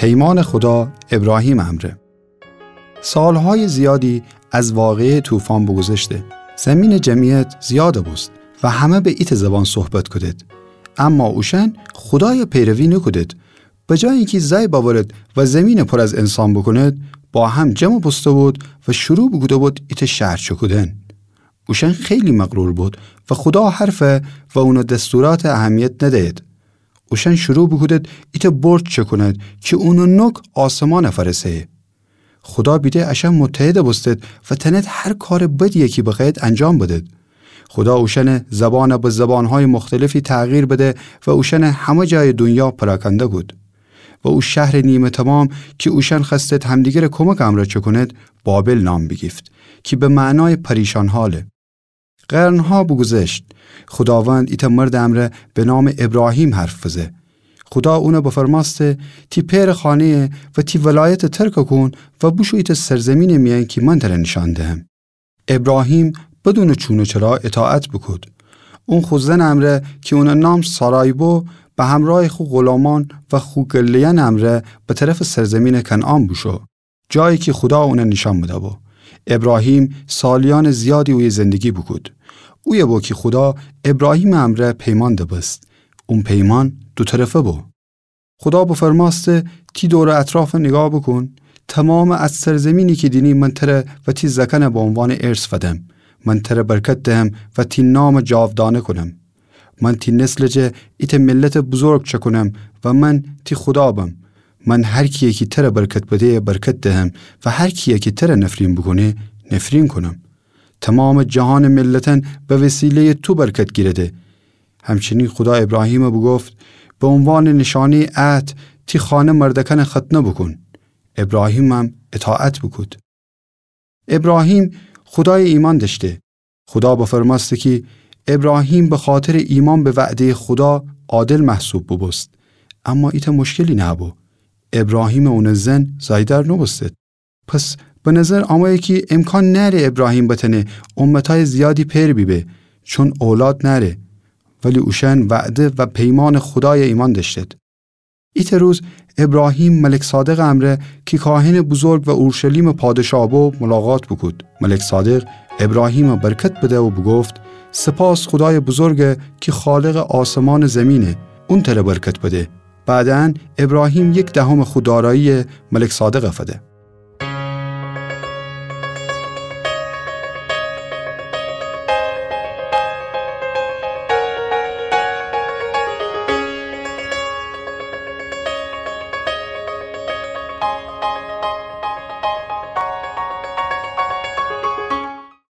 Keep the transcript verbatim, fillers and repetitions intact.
پیمانٚ خودا ابراهیمٚ امرأ. سالهای زیادی از واقعهٔ طوفان بوگوذشته. زمینٚ جمعیت زیاد بوست و همه به ایتأ زبان صحبت کودید. اما اوشأن خودای پیروی نوکودید. به جای اینکه زأی بأورید و زمین پر از انسان بوکونید، با هم جمع بوسته بود و شروع بوکوده بود ایتأ شهر چکودن. اوشأن خیلی مغرور بود و خودا حرف و اونٚ دستورات اهمیت ندأیید. اوشأن شروع بوکودید ایتأ برج چکونید کی اونٚ نوک آسمان فأرسه. خودا بیده اشأن متحد بوستید و تأنید هر کارٚ بدیی کی بخوأیید انجام بدید. خودا اوشأنٚ زبان به زبانهای مختلفی تغییر بده و اوشأن همه جایٚ دونیا پراکنده کود. و او شهرٚ نیمه تمام کی اوشأن خوأستید همدیگرٚ کمکٚ امرأ چکونید، بابل نام بیگیفت، کی به معنای پریشان حاله. قرنها بوگوذشت، خوداوند ایتأ مردٚ امرأ به نامٚ ابراهیم حرف بزه. خودا اون بفرمأسته: تی پئرٚ خانه‌یه و تی ولایت ترک کون و بوشو ایتأ سرزمینٚ میأن کی من تر نیشأن دهم. ابراهیم بدونٚ چون و چرا اطاعت بوکود. اون خو زنٚ امرأ کی اونٚ نام سارای بو، به همرأیٚ خو غلامان و خو گله‌یأنٚ امرأ به طرفٚ سرزمینٚ کنعان بوشو، جایی کی خودا اون نیشأن بده‌بو. ابراهیم سالیأنٚ زیادی اویه زندگی بوکود. اویه بو کی خودا ابراهیمٚ امرأ پیمان دبست. اون پیمان دو طرفه بو. خودا بفرمأسته: تی دور و اطرافٚ نیگاه بوکون. تمامٚ ا سرزمینی کی دینی من تر و تی زأکأن به عنوانٚ ارث فدم. من تر برکت دهم و تی نام جاودانه کونم. من تی نسلٚ جا ایتأ ملتٚ بزرگ چکونم و من تی خودا بم. من هر کیی کی تر برکت بده برکت دهم و هر کیی کی تر نفرین بوکونه نفرین کونم. تمامٚ جهانٚ ملتأن به وسیله‌یٚ تو برکت گیرده. همچنین خودا ابراهیم بوگفت: به عنوانٚ نیشأنه‌یٚ عهد تی خانه مردأکأن ختنه بوکون. ابراهیمم اطاعت بوکود. ابراهیم خودای ایمأن دأشته. خودا بفرمأسته کی ابراهیم به خاطرٚ ایمأن به وعده‌یٚ خودا عادل محسوب بوبوست. اما ایتأ مشکلی نهه‌بو. ابراهیمٚ اونٚ زن زأیدأر نوبوستید. پس به نظر آمه‌یه کی امکان نأره ابراهیم بتأنه امتأیٚ زیادی پئر بیبه، چون اولاد نأره. ولی اوشأن وعده و پیمانٚ خودای ایمأن دأشتید. ایتأ روز ابراهیم ملک صادقٚ امرأ کی کاهنٚ بزرگ و اورشلیمٚ پادشاه بو ملاقات بوکود. ملک صادق ابراهیم برکت بده و بوگفت: سپاس خودایٚ بزرگ کی خالقٚ آسمان و زمینه، اون تر برکت بده. بعداً ابراهیم یک دهمٚ خو دارایی ملک صادق فده.